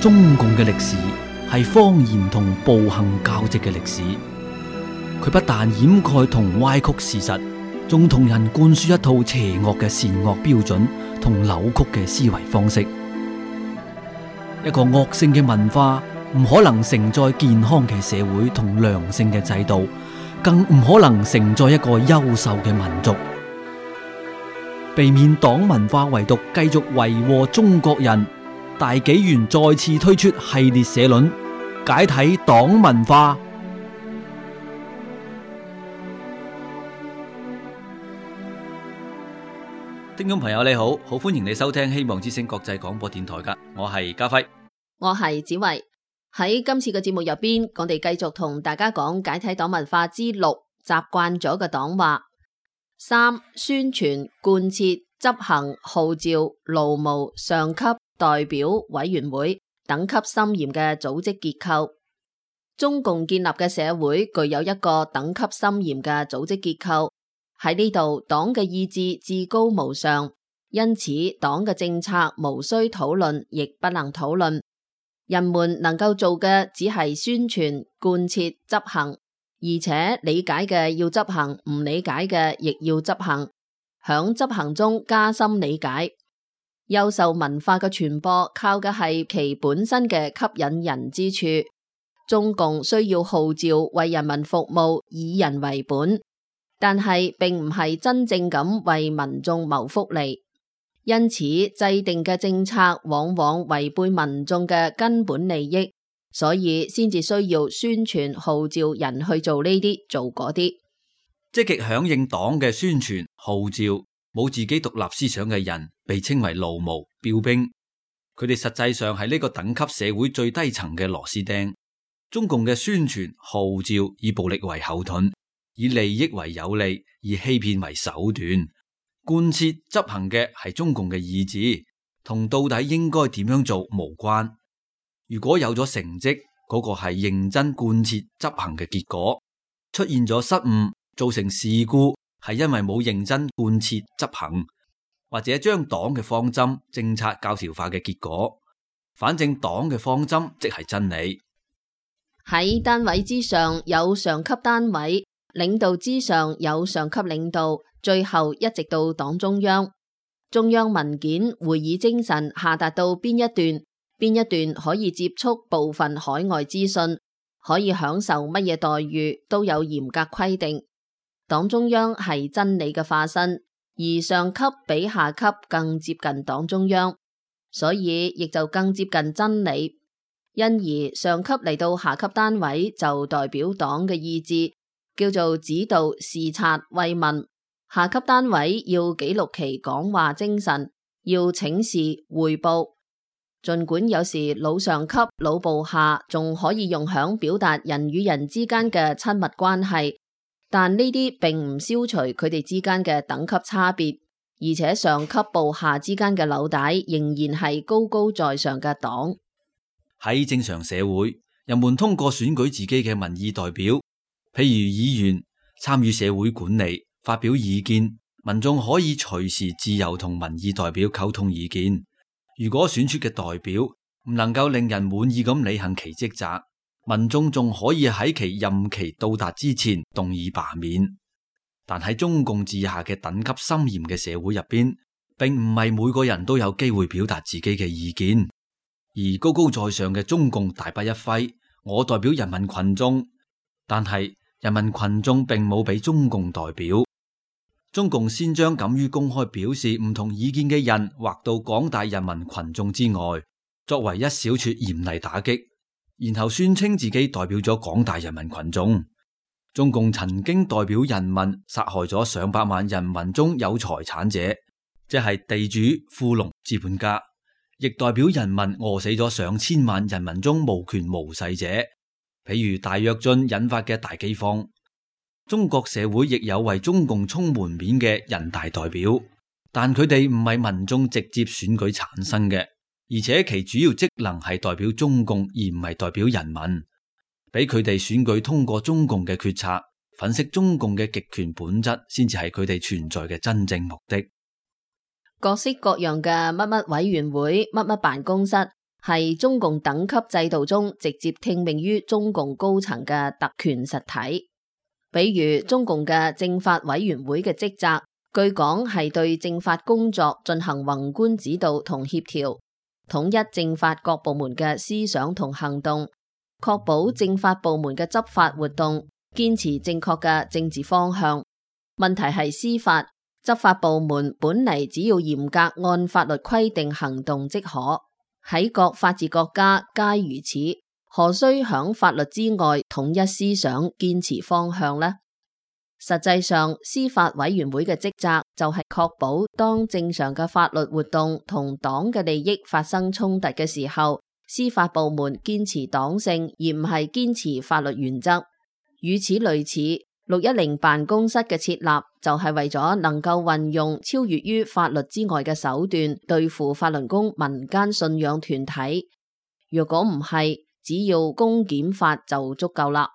中共嘅歷史係謊言同暴行交織嘅歷史。佢不但掩蓋同歪曲事實，仲同人灌輸一套邪惡嘅善惡標準同扭曲嘅思維方式。一個惡性嘅文化唔可能承載健康嘅社會同良性嘅制度，更唔可能承載一個優秀嘅民族。避免黨文化遺毒繼續為禍中國人，大紀元再次推出系列社論，解體黨文化。聽眾朋友你好，好歡迎你收聽希望之聲國際廣播電台噶，我係家輝，我係子維。喺今次嘅節目入邊，我哋繼續同大家講解體黨文化之6，習慣咗嘅黨話。3、宣傳、貫徹、執行、號召、勞務、上級代表委員會等級森嚴嘅組織結構。中共建立嘅社會具有一個等級森嚴嘅組織結構。喺呢度，黨嘅意志至高無上，因此黨嘅政策無需討論，亦不能討論。人們能夠做嘅只係宣傳、貫徹、執行，而且理解嘅要執行，唔理解嘅亦要執行。響執行中加深理解。優秀文化嘅傳播靠嘅係其本身嘅吸引人之處。中共需要號召為人民服務，以人為本。但係並唔係真正咁為民眾謀福利，因此制定嘅政策往往違背民眾嘅根本利益，所以先至需要宣傳號召人去做呢啲做嗰啲。積極響應黨嘅宣傳號召，冇自己獨立思想嘅人被稱為勞務標兵，佢哋實際上係呢個等級社會最低層嘅螺絲釘。中共嘅宣傳號召以暴力為後盾，以利益為有利，以欺騙為手段。貫徹執行嘅係中共嘅意志，同到底應該點樣做無關。如果有咗成績，嗰個係認真貫徹執行嘅結果。出現咗失誤，造成事故，係因為冇認真貫徹執行，或者將黨嘅方針政策教條化嘅結果。反正黨嘅方針即係真理。喺單位之上有上級單位，領導之上有上級領導，最後一直到黨中央。中央文件會議精神下達到邊一段可以接觸部分海外資訊，可以享受乜嘢待遇，都有嚴格規定。黨中央係真理嘅化身，而上級比下級更接近黨中央，所以亦就更接近真理。因而上級嚟到下級單位就代表黨嘅意志，叫做指導、視察、慰問。下級單位要記錄其講話精神，要請示匯報。儘管有時老上級、老部下仲可以用響表達人與人之間嘅親密關係，但呢啲並唔消除佢哋之間嘅等級差別，而且上級部下之間嘅紐帶仍然係高高在上嘅黨。喺正常社會，人們通過選舉自己嘅民意代表，譬如議員，參與社會管理，發表意見。民眾可以隨時自由同民意代表溝通意見。如果選出嘅代表唔能夠令人滿意咁履行其職責，民眾仲可以喺其任期到達之前動議罷免。但喺中共治下嘅等級森嚴嘅社會入邊，並唔係每個人都有機會表達自己嘅意見。而高高在上嘅中共大筆一揮，我代表人民群眾，但係人民群眾並冇俾中共代表。中共先將敢於公開表示唔同意見嘅人劃到廣大人民群眾之外，作為一小撮嚴厲打擊，然後宣稱自己代表咗廣大人民群眾。中共曾經代表人民殺害咗上百萬人民中有財產者，即係地主、富農、資本家，亦代表人民餓死咗上千萬人民中無權無勢者，譬如大躍進引發嘅大饑荒。中國社會亦有為中共充門面嘅人大代表，但佢哋唔係民眾直接選舉產生嘅，而且其主要職能係代表中共而唔係代表人民，俾佢哋選舉通過中共嘅決策，粉飾中共嘅極權本質，先至係佢哋存在嘅真正目的。各式各樣嘅乜乜委員會、乜乜辦公室係中共等級制度中直接聽命於中共高層嘅特權實體。比如中共嘅政法委員會嘅職責，據講係對政法工作進行宏觀指導同協調，統一政法各部門嘅思想同行動，確保政法部門嘅執法活動堅持正確嘅政治方向。問題係司法執法部門本嚟只要嚴格按法律規定行動即可，喺各法治國家皆如此，何須響法律之外統一思想堅持方向呢？實際上，司法委員會嘅職責就係確保當正常嘅法律活動同黨嘅利益發生衝突嘅時候，司法部門堅持黨性而唔係堅持法律原則。與此類似，610辦公室嘅設立就係為咗能夠運用超越於法律之外嘅手段對付法輪功民間信仰團體。若果唔係，只要公檢法就足夠啦，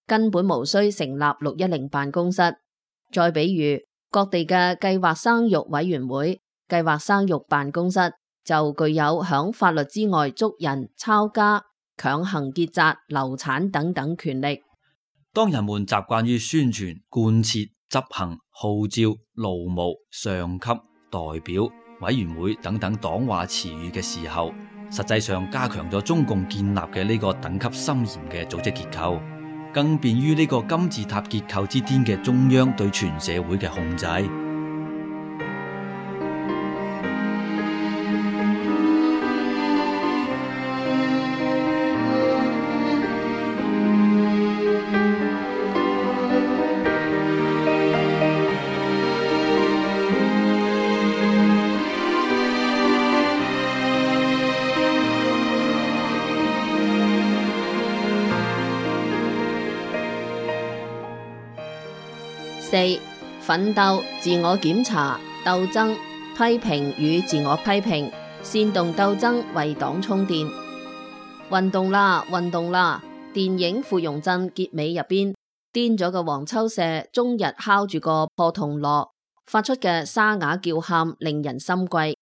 根本無需成立610辦公室。再比如各地嘅計劃生育委員會、計劃生育辦公室就具有響法律之外捉人、抄家、強行結紮、流產等等權力。當人們習慣於宣傳、貫徹、執行、號召、勞務、上級、代表、委員會等等黨話詞語嘅時候，實際上加強咗中共建立嘅呢個等級森嚴嘅組織結構，更便於呢個金字塔結構之巔嘅中央對全社會嘅控制。四、奮鬥、自我檢查、鬥爭、批評與自我批評，煽動鬥爭為黨充電。運動啦，運動啦！電影《芙蓉鎮》結尾入邊，癲咗嘅黃秋社終日敲住個破銅鑼，發出嘅沙啞叫喊令人心悸。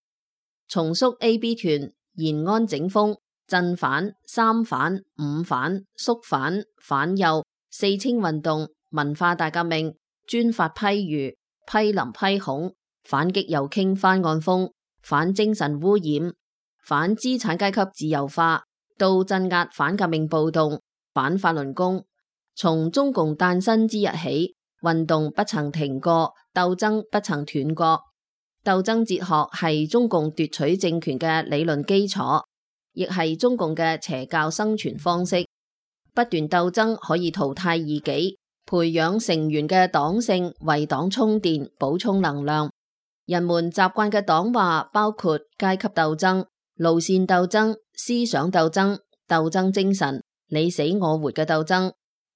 重肅 AB 團、延安整風、鎮反、三反、五反、肅反、反右、四清運動、文化大革命、專法批儒、批林批孔、反擊右傾翻案風、反精神污染、反資產階級自由化，到鎮壓反革命暴動、反法輪功。從中共誕生之日起，運動不曾停過，鬥爭不曾斷過。鬥爭哲學係中共奪取政權嘅理論基礎，亦係中共嘅邪教生存方式。不斷鬥爭可以淘汰異己，培養成員嘅黨性，為黨充電，補充能量。人們習慣嘅黨話包括階級鬥爭、路線鬥爭、思想鬥爭、鬥爭精神、你死我活嘅鬥爭、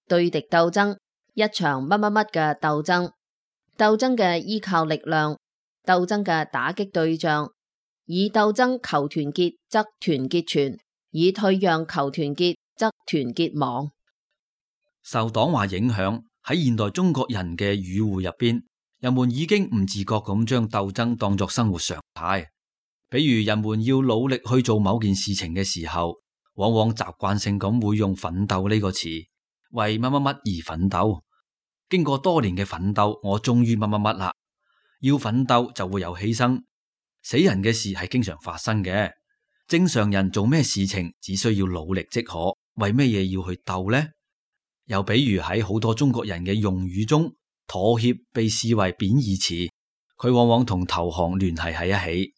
對敵鬥爭、一場乜乜乜嘅鬥爭。鬥爭嘅依靠力量，鬥爭嘅打擊對象，以鬥爭求團結則團結全，以退讓求團結則團結亡。受黨話影響，喺現代中國人嘅語彙入邊，人們已經唔自覺咁將鬥爭當作生活常態。比如人們要努力去做某件事情嘅時候，往往習慣性咁會用奮鬥呢個詞，為乜乜乜而奮鬥。經過多年嘅奮鬥，我終於乜乜乜啦。要奮鬥就會有犧牲，死人嘅事係經常發生嘅。正常人做咩事情只需要努力即可，為咩嘢要去鬥呢？又比如喺好多中國人嘅用語中，妥協被視為貶義詞，佢往往同投降聯繫喺一起。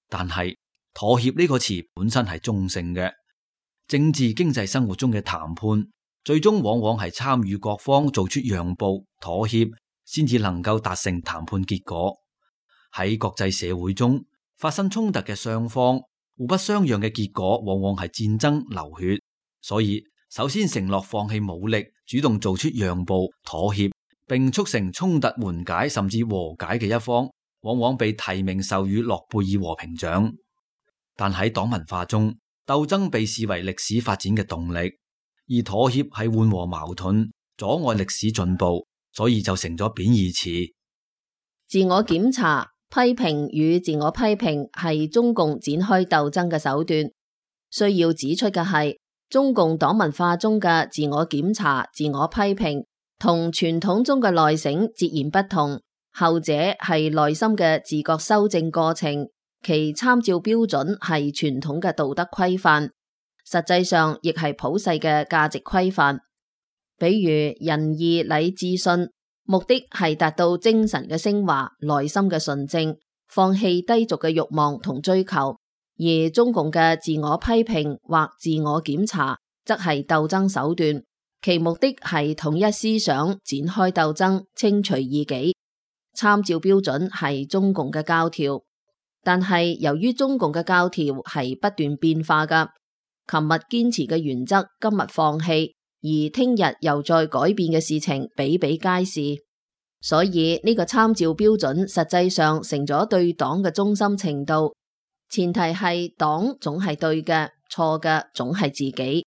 但係妥協呢個詞本身係中性嘅，政治經濟生活中嘅談判，最終往往係參與各方做出讓步、妥協，先至能夠達成談判結果。喺國際社會中，發生衝突嘅雙方互不相讓嘅結果，往往係戰爭流血。所以首先承諾放棄武力，主動做出讓步、妥協，並促成衝突緩解甚至和解嘅一方，往往被提名授予諾貝爾和平獎。但喺黨文化中，鬥爭被視為歷史發展嘅動力，而妥協係緩和矛盾、阻礙歷史進步，所以就成咗貶義詞。自我檢查、批評與自我批評係中共展開鬥爭嘅手段。需要指出嘅係，中共黨文化中嘅自我檢查、自我批評，同傳統中嘅內省截然不同。後者係內心嘅自覺修正過程，其參照標準係傳統嘅道德規範，實際上亦係普世嘅價值規範。比如仁義禮智信，目的係達到精神嘅升華、內心嘅純正，放棄低俗嘅慾望同追求。而中共嘅自我批評或自我檢查，則係鬥爭手段，其目的係統一思想，展開鬥爭，清除異己。參照標準係中共嘅教條，但係由於中共嘅教條係不斷變化㗎，琴日堅持嘅原則今日放棄，而聽日又再改變嘅事情比比皆是，所以呢個參照標準實際上成咗對黨嘅忠心程度，前提係黨總係對嘅，錯嘅總係自己，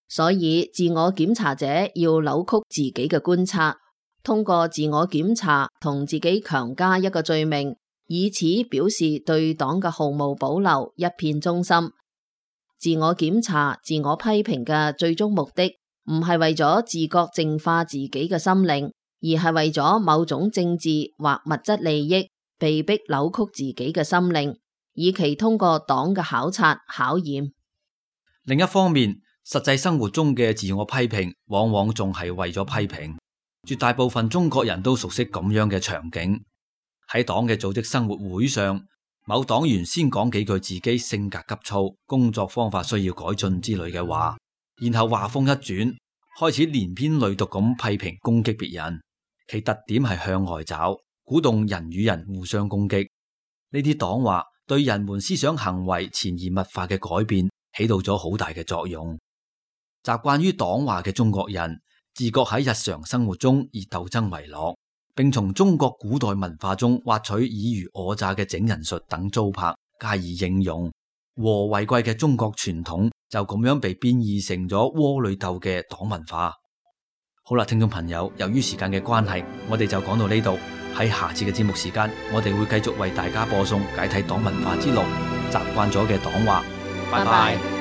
所以自我檢查者要扭曲自己嘅觀察，通過自我檢查同自己強加一個罪名，以此表示對黨嘅毫無保留，一片忠心。自我檢查、自我批評嘅最終目的，唔係為咗自覺淨化自己嘅心靈，而係為咗某種政治或物質利益，被迫扭曲自己嘅心靈，以期通過黨嘅考察、考驗。另一方面，實際生活中嘅自我批評，往往仲係為咗批評。絕大部分中國人都熟悉咁樣嘅場景，喺黨嘅組織生活會上，某黨員先講幾句自己性格急躁、工作方法需要改進之類嘅話，然後話鋒一轉，開始連篇累牘咁批評攻擊別人，其特點係向外找，鼓動人與人互相攻擊。呢啲黨話對人們思想行為潛移默化嘅改變起到咗好大嘅作用。習慣於黨話嘅中國人，自覺喺日常生活中以鬥爭為樂，並從中國古代文化中挖取爾虞我詐嘅整人術等糟粕加以應用，和為貴嘅中國傳統就咁樣被變異成咗窩裏鬥嘅黨文化。好啦，聽眾朋友，由於時間嘅關係，我哋就講到呢度。喺下次嘅節目時間，我哋會繼續為大家播送解體黨文化之路，習慣咗嘅黨話。拜拜。